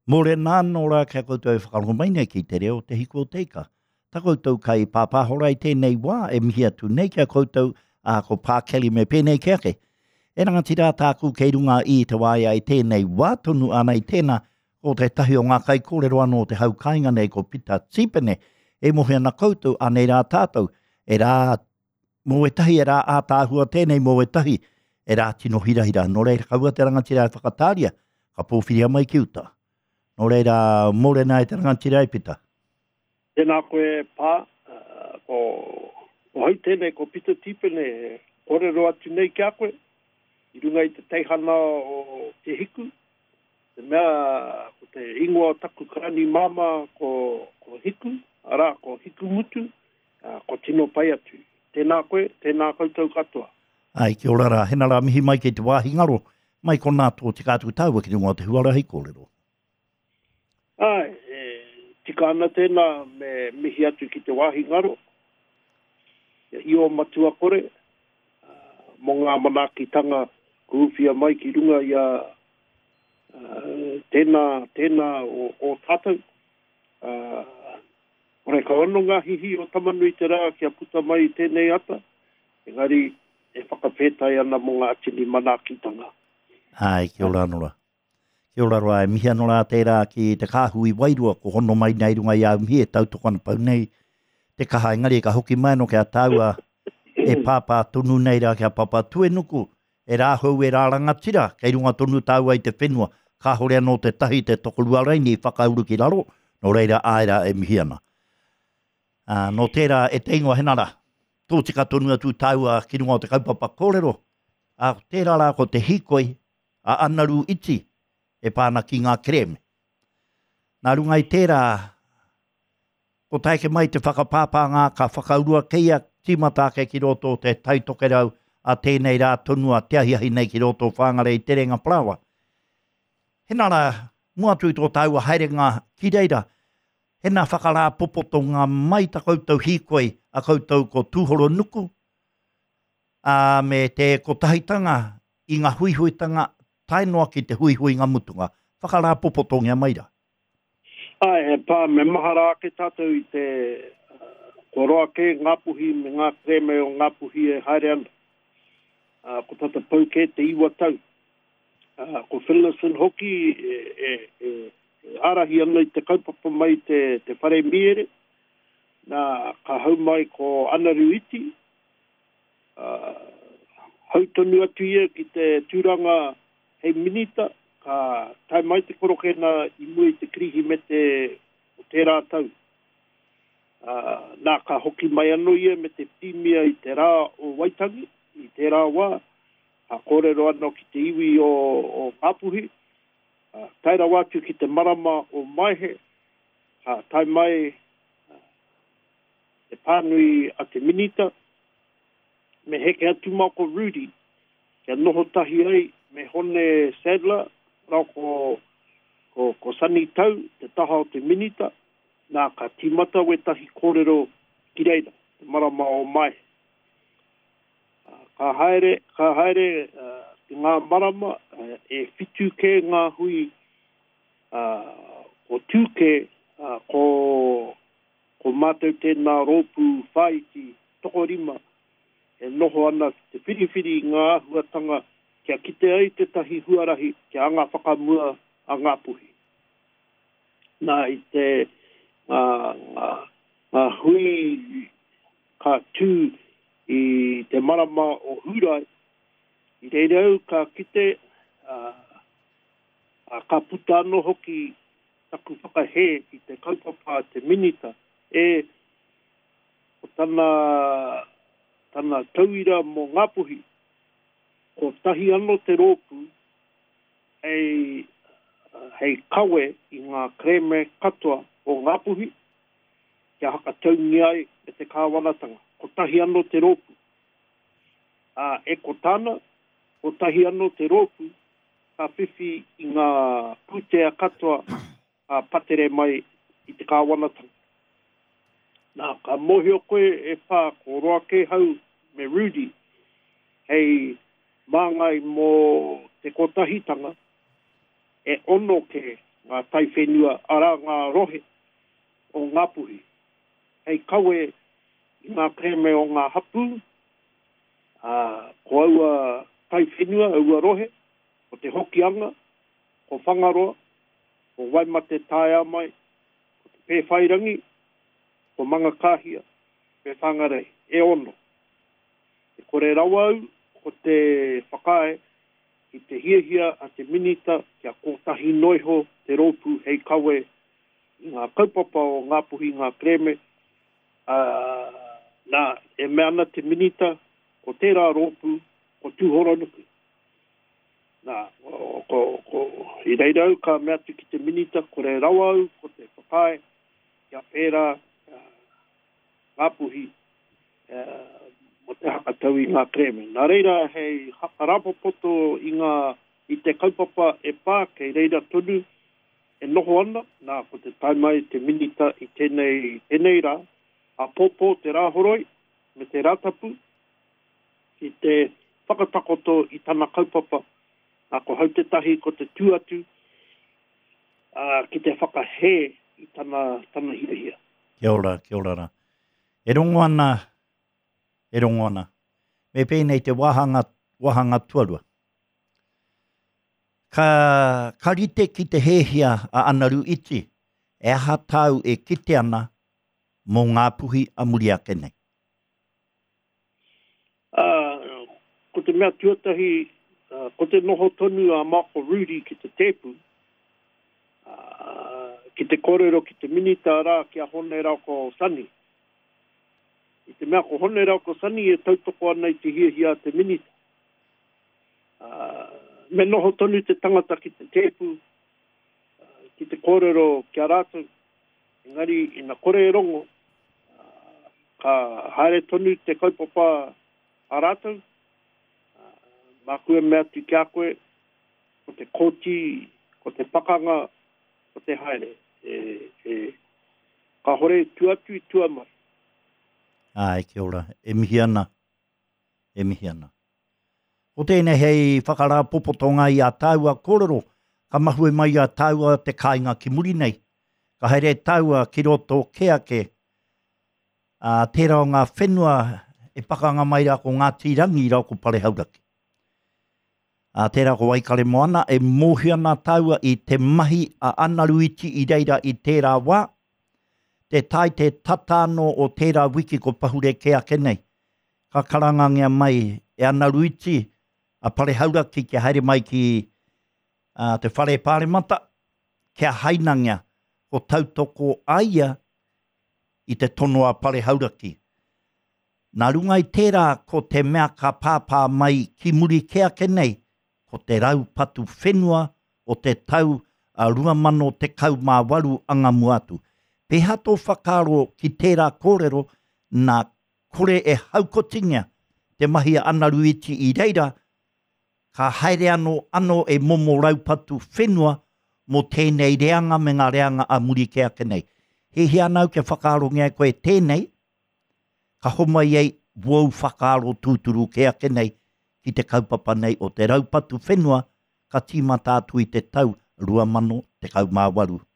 Mōrena anō rā ki a koutou e whakarongo mai nei ki te reo o Te Hiku o Te Ika. Ta koutou kai pāpāhora i tēnei wā e mihi atu nei ki a koutou, ā, ko Pā Kelly me pēnei ke ake. E rangatira tāku kei runga i te waea i tēnei wā tonu ana i tēnā, ko tētahi o ngā kaikōrero anō o te hau kāinga nei ko Pita Tīpene. E mohi ana koutou, anei rā tātou, e rā Mō ētahi e rā ātaahua tēnei, mō ētahi e rā tino hirahira. Nō reira, kaua te rangatira e whakatāria, ka pōwhiria mai ki uta. Nō reira, mōrena e te rangatira e Pita. Tēnā koe e Pā, ko hau tēnei ko Pita Tīpene e kōrero atu nei ki a koe i runga i te teihana o Te Hiku, te mea ko te ingoa o taku karani māmā ko Hiku, arā ko Hikumutu, Ā, kua tino pai atu. Tēnā koe, tēnā koutou katoa. Āe, kia ora rā. Hena rā mihi mai kei te wāhi ngaro, mai konā tō tika atu tāua ki runga o te huarahi kōrero. Āe, e tika ana tēnā me mihi atu ki te wāhi ngaro, ki a Io Matua Kore, mō ngā manaakitanga kua uwhia mai ki runga i a tēnā, tēnā o, o tātou. Ā, Horekau anō ngā hihi o Tamanui-te-rā kia puta mai i tēnei ata, engari e whakawhētai ana mō ngā tini manaakitanga. Āe, kia ora anō rā. Kia ora rā, e mihi anō rā tērā ki te kāhui wairua ko hono mai nei runga i āu mihi e tautoko ana pau nei te kaha, engari ka hoki mai anō ki a tāua e pāpā tonu nei rā ki a Papatuenuku, E rāhou e rā rangatira, kei runga tonu tāua i te whenua, kāhore anō te tahi te tokorua raini i whakauru ki raro, nō reira āe rā e mihi ana. Ā, nō tērā e te ingoa Henara, tōtika tonu atu tāua ki runga o te kaupapa kōrero, ā, ko tērā rā ko te hīkoi a Anaru Iti e pā ana ki ngā kerēme. Nā runga i tērā, Ko taeke mai te whakapāpāngā ka whakaurua keia tīmata ake ki roto o te Tai Tokerau a tēnei rā tonu a te ahiahi nei ki roto o Whāngarei i Te Rēnga Parāoa. Hena rā, mua atu i tō tāua haerenga ki reira, hena whakarāpopotonga mai ta koutou hīkoi a koutou ko Tūhoronuku, ā, me te kotahitanga i ngā huihuitanga tae noa ki te huihuinga mutunga. Whakarāpopotongia mai rā. Āe, e pā, me mahara ake tātou i te, kua roa kē Ngāpuhi me ngā kerēme o Ngāpuhi e haere ana. Ā, ko tata pau kē te iwa tau. Ā, ko Finlayson hoki e, e, e, e ārahi ana i te kaupapa mai i te, te whare mīere. Nā, ka hau mai ko Anaru Iti, ā, hau tonu atu ia ki te tūranga Hei minita, ka tae mai te korokena i mua i te Kirihimete o tērā tau. Ā, nā, ka hoki mai anō ia me te Pirimia i te rā o Waitangi, i tērā wā, ka kōrero anō ki te iwi o, o Ngāpuhi, ā, tae rawa atu ki te marama o Maehe, ka tae mai te pānui a te minita, me heke atu mā ko Rudy, kia noho tahi ai me Hone Sadler rā ko, ko, ko Sonny Tau te taha o te minita, nā ka tīmata wētahi kōrero ki reira, te marama o Maehe. Ka haere, ka haere ki ngā marama e whitu kē ngā hui ko tū kē, ko, ko mātou tēnā rōpū whāiti tokorima e noho ana ki te whiriwhiri i ngā āhuatanga kia kite ai tētahi huarahi kia anga whakamua a Ngāpuhi. Nā, i te, ngā, ngā, ngā hui ka tū i te marama o Hūrae, i reira au ka kite, ā, ā, ka puta anō hoki taku whakahē i te kaupapa a te Minita, e, Ko tana, tana tauira mō Ngāpuhi, kotahi anō te rōpū hei, hei kawe i ngā kerēme katoa o Ngāpuhi kia hakataungia ai e te kāwanatanga. Kotahi anō te rōpū. Ā, e ko tāna, kotahi anō te rōpū ka whiwhi i ngā pūtea katoa ka patere mai i te kāwanatanga. Nā, ka mōhio koe e Pā ko Roakēhau me Rudy hei māngai mō te kotahitanga, e ono kē. ngā taiwhenua, arā ngā rohe o Ngāpuhi, hei kawe i ngā kerēme o ngā hapū, ā, ko aua taiwhenua, aua rohe, ko Te Hokianga, ko Whangaroa, ko Waimate Taeamai, ko Te Pēwhairangi, ko Mangakāhia, me Whangarei, e ono. E kore rawa au ko te whakaae ki te hiahia a te Minita kia kōtahi noiho te rōpū hei kawe i ngā kaupapa o Ngāpuhi ngā kerēme, ā, nā, e mea ana te Minita ko tērā rōpū ko Tūhoronuku. Nā, ko, ko, i reira au ka mea atu ki te Minita kore rawa au ko te whakaae kia pērā Ngāpuhi mō te hakatau i ngā kerēme. Nā reira, hei hakarāpopoto i ngā, i te kaupapa e pā, kei reira tonu e noho ana, nā, ko te tae mai te Minita i tēnei, tēnei rā, āpōpō te Rāhoroi me te Rātapu, ki te whakatakoto i tana kaupapa, nā, ko hau tētahi ko te tū atu, ā, ki te whakahē i tana, tana hiahia. Kia ora, kia ora rā. E rongo ana, e rongo ana. Me pēnei te wāhanga, wāhanga tuarua. Ka, ka rite ki te hēhia a Anaru Iti, e aha tāu e kite ana mō Ngāpuhi a muri ake nei? Ā, ko te mea tuatahi, ko te noho tonu a Michael Rudi ki te tēpu, ā, ki te kōrero ki te Minita rā ki a Hone Rauko Sonny. I te mea ko Hone Rauko Sonny e tautoko ana i te hiahia a te Minita. Ā, me noho tonu te tangata ki te tēpu, ki te kōrero ki a rātou, engari ina kore e rongo, ā, ka haere tonu te kaupapa a rātou, ā, māku e mea atu ki a koe, ko te kōti, ko te pakanga, ko te haere, e, e, kāhore i tua atu i tua mai. Āe, kia ora. E mihi ana, e mihi ana. Ko tēnei hei whakarāpopotonga i ā tāua kōrero, ka mahue mai i a tāua te kāinga ki muri nei. Ka haere tāua ki roto kē ake, ā, tērā o ngā whenua e pakanga mai rā ko Ngāti Rangi rā ko Parehauraki. Ā, tērā ko Waikaremoana, e mōhio ana tāua i te mahi a Anaruiti i reira i tērā wā, te tae te tata anō o tērā wiki ko pahure kē ake nei. Ka karangangia mai e Anaruiti a Parehauraki kia haere mai ki ā, te whare pāremata, kia hainangia ko tautoko a ia i te tono a Parehauraki. Nā runga i tērā ko te mea ka pāpā mai ki muri kē ake nei, ko te raupatu whenua o te tau 2018 anga mua atu. Pēhea tō whakaaro ki tērā kōrero nā kore e haukotingia te mahi a Anaruiti i reira, ka haere anō anō e momo raupatu whenua mō tēnei reanga me ngā reanga a muri kē ake nei. Hiahia ana au kia whakaarongia e koe tēnei, ka homai ai wōu whakaaro tūturu kē ake nei ki te kaupapa nei o te raupatu whenua ka tīmata atu i te tau 2018.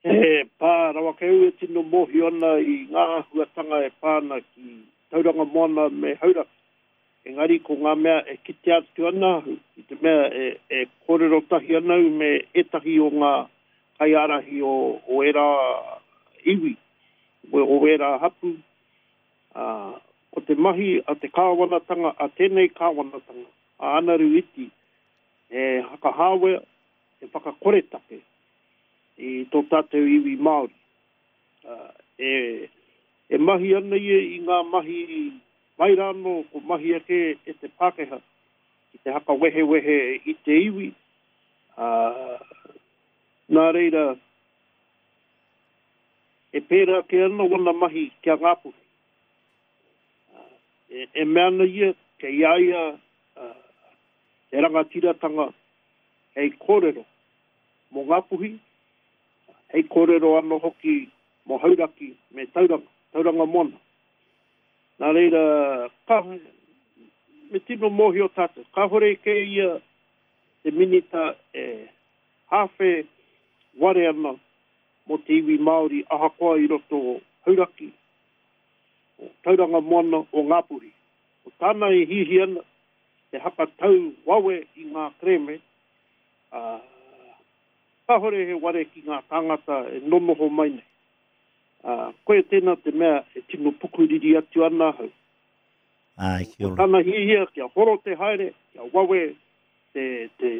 He pā rawa kei au e tino mōhio ana i ngā āhuatanga e pā ana ki Tauranga Moana me Hauraki. Engari ko ngā mea e kitea atu ana ahu, i te mea e kōrero tahi ana au me ētahi o ngā kaiārahi o ērā iwi, o ērā hapū, ā, ko te mahi a te kāwanatanga, a tēnei kāwanatanga, a Anaru Iti, he hakahāwea, he whakakoretake i tō tātou iwi Māori. Ā, e, e mahi ana ia i ngā mahi mai rānō ko mahia kē e te Pākehā ki te hakawehewehe i te iwi, ā, nā reira, e pērā kē ana wana mahi ki a Ngāpuhi. Ā, e, e mea ana ia kei a ia te rangatiratanga hei kōrero mō Ngāpuhi, hei kōrero anō hoki mō Hauraki me Tauranga, Tauranga Moana. Nā reira, ka, me tino mōhio tātou, kāhore kē ia te Minita e. hāwhe ware ana mō te iwi Māori ahakoa i roto o Hauraki, o Tauranga Moana, o Ngāpuhi. Ko tāna e hiahia ana, he hakatau wawe i ngā kerēme, ā, kāhore he ware ki ngā tāngata e nonoho mai nei. Ā, koia tēnā te mea e tino pukuriri atu ana ahau. Āe, kia ora. Ko tana hiahia kia horo te haere, kia wawe te, te,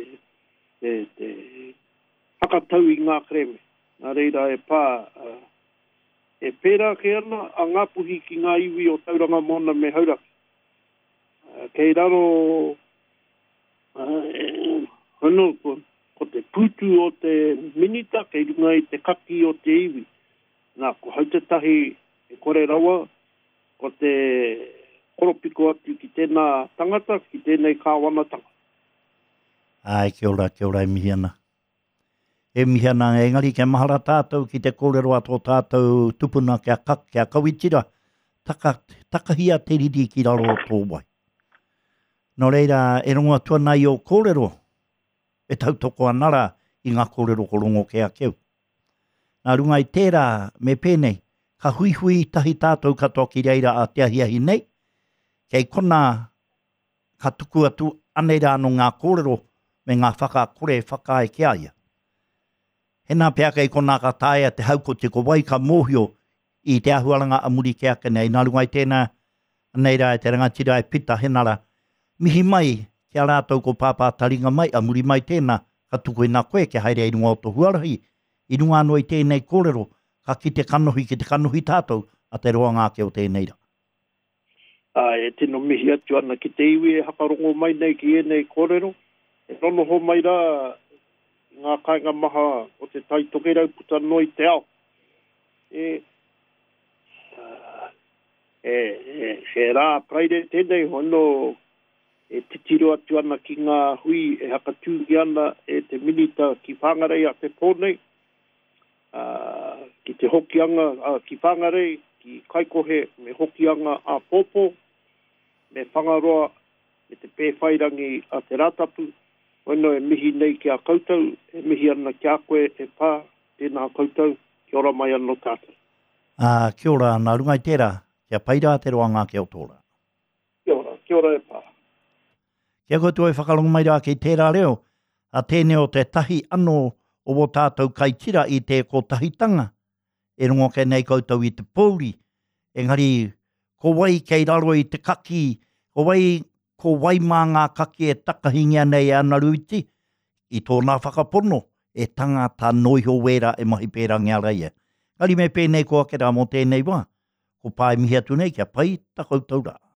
te, te hakatau i ngā kerēme. Nā reira e pā, ā, e pērā kē ana a Ngāpuhi ki ngā iwi o Tauranga Moana me Hauraki. Ā, kei raro, ā, e, anō, ko, ko te pūtu o te minita kei runga i te kaki o te iwi. Nā, ko hau tētahi e kore rawa, ko te koropiko atu ki tēnā tangata, ki tēnei kāwanatanga. Āe, kia ora, kia ora e mihi ana. E mihi ana, engari kia mahara tātou ki te kōrero a tō tātou tupuna kia, ka, kia kawitira, taka, takahia te riri ki raro o tō wai. Nō reira, e rongo atu ana i ō kōrero, e tautoko ana rā i ngā kōrero ko rongo kē ake au. Nā runga i tērā, me pēnei, ka huihui tahi tātou katoa ki reira a te ahiahi nei, kei konā ka tuku atu anei rā anō ngā kōrero me ngā whakakore whakaae ki a ia. Hēnā pea kei konā ka taea te haukoti ko wai ka mōhio i te āhuaranga a muri kē ake nei. Nā runga i tēnā, anei rā e te rangatira e Pita Henara, mihi mai ki a rātou ko Pāpā Taringa mai, a muri mai tēnā, ka tukuina koe kia haere i runga o to huarahi. I runga anō i tēnei kōrero, ka kite kanohi ki te kanohi tātou a te roanga ake o tēnei rā. Ā, e tino mihi atu ana ki te iwi e hakarongo mai nei ki ēnei kōrero, e nonoho mai rā i ngā kāinga maha o Te Tai Tokerau puta noa i te ao. E, e, e, he rā Paraire tēnei, hono e titiro atu ana ki ngā hui e hakatūngia ana e te Minita ki Whangarei a te pō nei, ā, ki te Hokianga, ā, ki Whangarei, ki Kaikohe me Hokianga āpōpō, me Whangaroa, me te Pēwhairangi a Te Rātapu, hono e mihi nei ki a koutou, e mihi ana ki a koe e Pā, tēnā koutou, kia ora mai anō tātou. Ā, kia ora, nā runga i tērā, kia pai rā te roanga ake o tō rā. Kia ora, kia ora e Pā. Kia koutou e whakarongo mai rā ki tērā reo, a tēnei o tētahi anō o wō tātou kaitira i te kotahitanga, e rongo ake nei koutou i te pōuri, engari ko wai kei raro i te kaki, ko wai, ko wai mā ngā kaki e takahingia nei e Anaru Iti, i tōna whakapono, e tangata noa iho wērā e mahi pērangia ra ia. Engari me pēnei ko ake rā mō tēnei wā, ko Pā e mihi atu nei kia pai ta koutou rā.